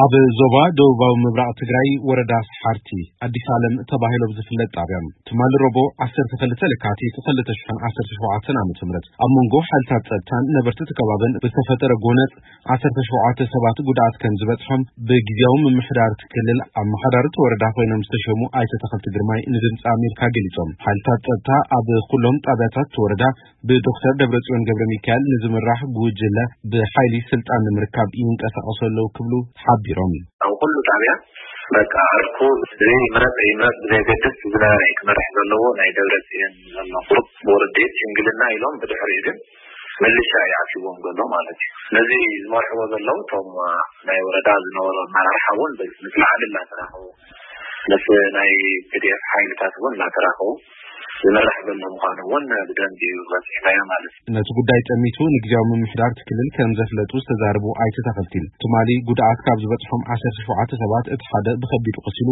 ኣብ ዞባ ደቡባዊ ምብራቕ ትግራይ ወረዳ ሰሓርቲ ኣዲስ ዓለም ተባሂሉ ኣብ ዝፍለጥ ጣብያ ትማሊ ረቡዕ ዓሰርተ ክልተ ለካቲት ክልተ ሽሕን ዓሰርተ ሸውዓተን ዓመተ ምህረት ኣብ መንጎ ሓይልታት ጸጥታን ነበርቲ እቲ ከባብን ብዝተፈጠረ ጎነጽ ዓሰርተ ሸውዓተ ሰባት ጉድኣት ከም ዝበጽሖም ብግዜያዊ ምምሕዳር እቲ ክልል ኣመሓዳሪ እቲ ወረዳ ኮይኖም ዝተሸሙ ኣይተ ተኸልቲ ግርማይ ንድምፂ ኣሜሪካ ገሊጾም። ሓይልታት ጸጥታ ኣብ ኩሎም ጣብያታት እቲ ወረዳ ብዶክተር ደብረጽዮን ገብረ ሚካኤል ንዝምራሕ ጉጅለ ብሓይሊ ስልጣን ንምርካብ ይንቀሳቐሱ ኣለዉ ክብሉ ሓቢሮም። ኣብ ኩሉ ጣብያ በቃ ዕርኩ ዘይምረፅ ይምረፅ ብዘየገድስ ዝነበረ እዩ ክመርሕ ዘለዎ። ናይ ደብረጽዮን ዘሎ ቁሩብ ብወረዴት ሽምግልና ኢሎም ብድሕሪኡ ግን ምልሻ ይኣትዎም ዘሎ ማለት እዩ። ነዚ ዝመርሕዎ ዘለዉ እቶም ናይ ወረዳ ዝነበሩ ኣመራርሓ እውን ምስ ላዕሊ እናተራኸቡ ምስ ናይ ፒ ዲ ኤፍ ሓይልታት እውን እናተራኸቡ ዝመራሕ ዘሎ ምዃኑ እውን ብደንቢ እዩ በፂሕናዮ ማለት እዩ። ነቲ ጉዳይ ጠሚቱ ንግዜያዊ ምምሕዳር እቲ ክልል ከም ዘፍለጡ ዝተዛረቡ ኣይተ ተኸልቲ ትማሊ ጉድኣት ካብ ዝበፅሖም ዓሰርተ ሸውዓተ ሰባት እቲ ሓደ ብኸቢዱ ቆሲሉ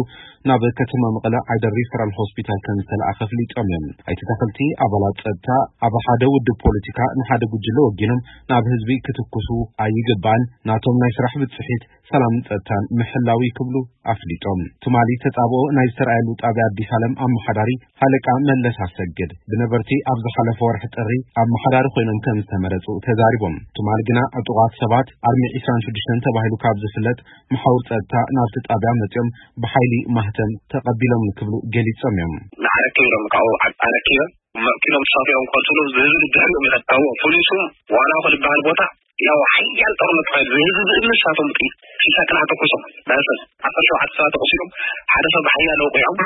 ናብ ከተማ መቐለ ዓይደር ሪፈራል ሆስፒታል ከም ዝተለኣኸ ኣፍሊጦም እዮም። ኣይተ ተኸልቲ ኣባላት ጸጥታ ኣብ ሓደ ውድብ ፖለቲካ ንሓደ ጉጅለ ወጊኖም ናብ ህዝቢ ክትኩሱ ኣይግባእን፣ ናቶም ናይ ስራሕ ብፅሒት ሰላምን ጸጥታን ምሕላው እዩ ክብሉ ኣፍሊጦም። ትማሊ ተጻብኦ ናይ ዝተረኣየሉ ጣብያ ኣዲስ ዓለም ኣመሓዳሪ ሃለቃ መለስ ኣሰግድ ብነበርቲ ኣብ ዝሓለፈ ወርሒ ጥሪ ኣመሓዳሪ ኮይኖም ከም ዝተመረጹ ተዛሪቦም። ትማሊ ግና ዕጡቓት ሰባት ኣርሚ ዒስራን ሽዱሽተን ተባሂሉ ካብ ዝፍለጥ መሓውር ጸጥታ ናብቲ ጣብያ መጺኦም ብሓይሊ ማህተም ተቐቢሎም ክብሉ ገሊጾም እዮም። ንዓረኪ ኢሎም ካብኡ ዓዲ ኣረኪቦም መኪኖም ተሳፊሮም ከንስሉ ዝህዝቢ ድሕሪኦም ይኸድ። ካብኡ ፖሊሱ ዋላ ክልበሃል ቦታ ያው ሓያል ጦርነት ተኻይዱ። ዝህዝቢ እምኒ ንሳቶም ጥይት ሽሻ ጥራሕ ተኩሶም። በስል ዓሰርተ ሸውዓተ ሰባት ተቆሲሎም ሓደ ሰብ ብሓያል ወቂዖም።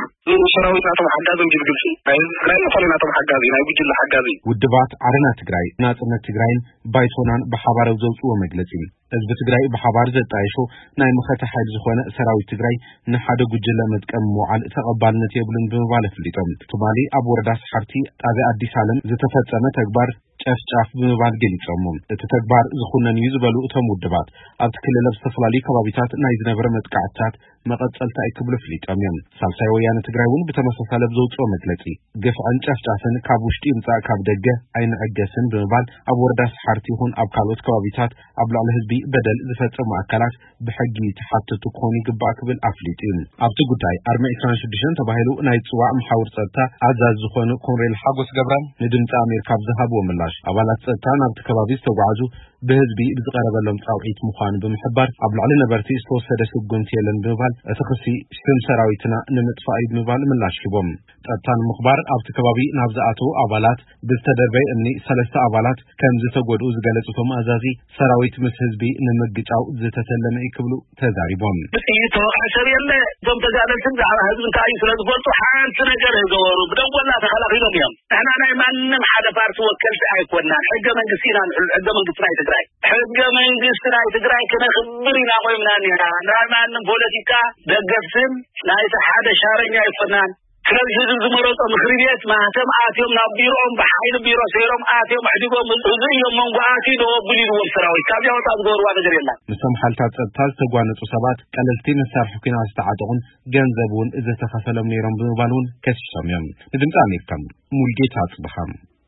ሰራዊት ናቶም ሓጋዞም ጅብ ግብፂ ናይ ህዝቢ ትግራይ ዝኾነ ናቶም ሓጋዚ ናይ ጉጅለ ሓጋዚ። ውድባት ዓረና ትግራይ፣ ናጽነት ትግራይን ባይቶናን ብሓባር ኣብ ዘውፅዎ መግለጺ ህዝቢ ትግራይ ብሓባር ዘጣየሾ ናይ መኸተ ሓይሊ ዝኾነ ሰራዊት ትግራይ ንሓደ ጉጅለ መጥቀሚ ምውዓል ተቐባልነት የብሉን ብምባል ኣፍሊጦም። ትማሊ ኣብ ወረዳ ሰሓርቲ ጣብያ ኣዲስ ዓለም ዝተፈጸመ ተግባር ጨፍጫፍ ብምባል ገሊጾሞ። እቲ ተግባር ዝኹነን እዩ ዝበሉ እቶም ውድባት ኣብቲ ክልል ኣብ ዝተፈላለዩ ከባቢታት ናይ ዝነበረ መጥቃዕትታት መቐጸልታ እዩ ክብሉ ኣፍሊጦም እዮም። ሳልሳይ ወያነ ትግራይ እውን ብተመሳሳሊ ኣብ ዘውፅኦ መግለጺ ግፍዕን ጨፍጫፍን ካብ ውሽጢ ይምጻእ ካብ ደገ ኣይንዕገስን ብምባል ኣብ ወረዳ ሰሓርቲ ይኹን ኣብ ካልኦት ከባቢታት ኣብ ልዕሊ ህዝቢ በደል ዝፈጸሙ ኣካላት ብሕጊ ተሓተቱ ክኾኑ ይግባእ ክብል ኣፍሊጡ እዩ። ኣብቲ ጉዳይ ኣርሚ ዒስራን ሽዱሽተን ተባሂሉ ናይ ዝጽዋዕ መሓውር ጸጥታ ኣዛዚ ዝኾኑ ኮንሬል ሓጎስ ገብረ ንድምፂ ኣሜሪካ ኣብ ዝሃብዎ ምላሽ ኣባላት ጸጥታ ናብቲ ከባቢ ዝተጓዓዙ ብህዝቢ ብዝቐረበሎም ጻውዒት ምዃኑ ብምሕባር ኣብ ልዕሊ ነበርቲ ዝተወሰደ ስጉምቲ የለን ብምባል እቲ ክሲ ሽም ሰራዊትና ንምጥፋእ እዩ ብምባል ምላሽ ሂቦም። ጸጥታ ንምኽባር ኣብቲ ከባቢ ናብ ዝኣተዉ ኣባላት ብዝተደርበየ እምኒ ሰለስተ ኣባላት ከም ዝተጎድኡ ዝገለጹ እቶም ኣዛዚ ሰራዊት ምስ ህዝቢ ንምግጫው ዝተተለመ እዩ ክብሉ ተዛሪቦም። ብጥይት ተወቕዐ ሰብ የለ። እቶም ተጋደልቲ ብዛዕባ ህዝቢ እንታይ እዩ ስለ ዝፈልጡ ሓንቲ ነገር ገበሩ ብደንጎላ ተኸላኺሎም እዮም። ንሕና ናይ ማንም ሓደ ፓርቲ ወከልቲ ኣይኮናን። ሕገ መንግስቲ ኢና ንሕሉ ሕገ መንግስቲ ናይ ትግራይ ሕገ መንግስቲ ናይ ትግራይ ክነኽብር ኢና ቆይምና እኒና። ናይ ማንም ፖለቲካ ደገፍትን ናይቲ ሓደ ሻረኛ ኣይኮናን። ስለዚ ህዝቢ ዝመረጾ ምኽሪ ቤት ማህተም ኣትዮም ናብ ቢሮኦም ብሓይሊ ቢሮ ሰይሮም ኣትዮም ኣሕዲጎም ህዝቢ እዮም መንጎ ኣትዩ ደወ ኣቢሉ ኢልዎም ሰራዊት ካብዚኣ ወፃእ ዝገበርዋ ነገር የላን። ምስቶም ሓይልታት ጸጥታ ዝተጓነጹ ሰባት ቀለልቲ መሳርሒ ኲናት ዝተዓጠቑን ገንዘብ እውን ዝተኸፈሎም ነይሮም ብምባል እውን ከሲሶም እዮም። ንድምፂ ኣሜሪካ ሙልጌታ ኣጽብሃ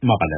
መቐለ።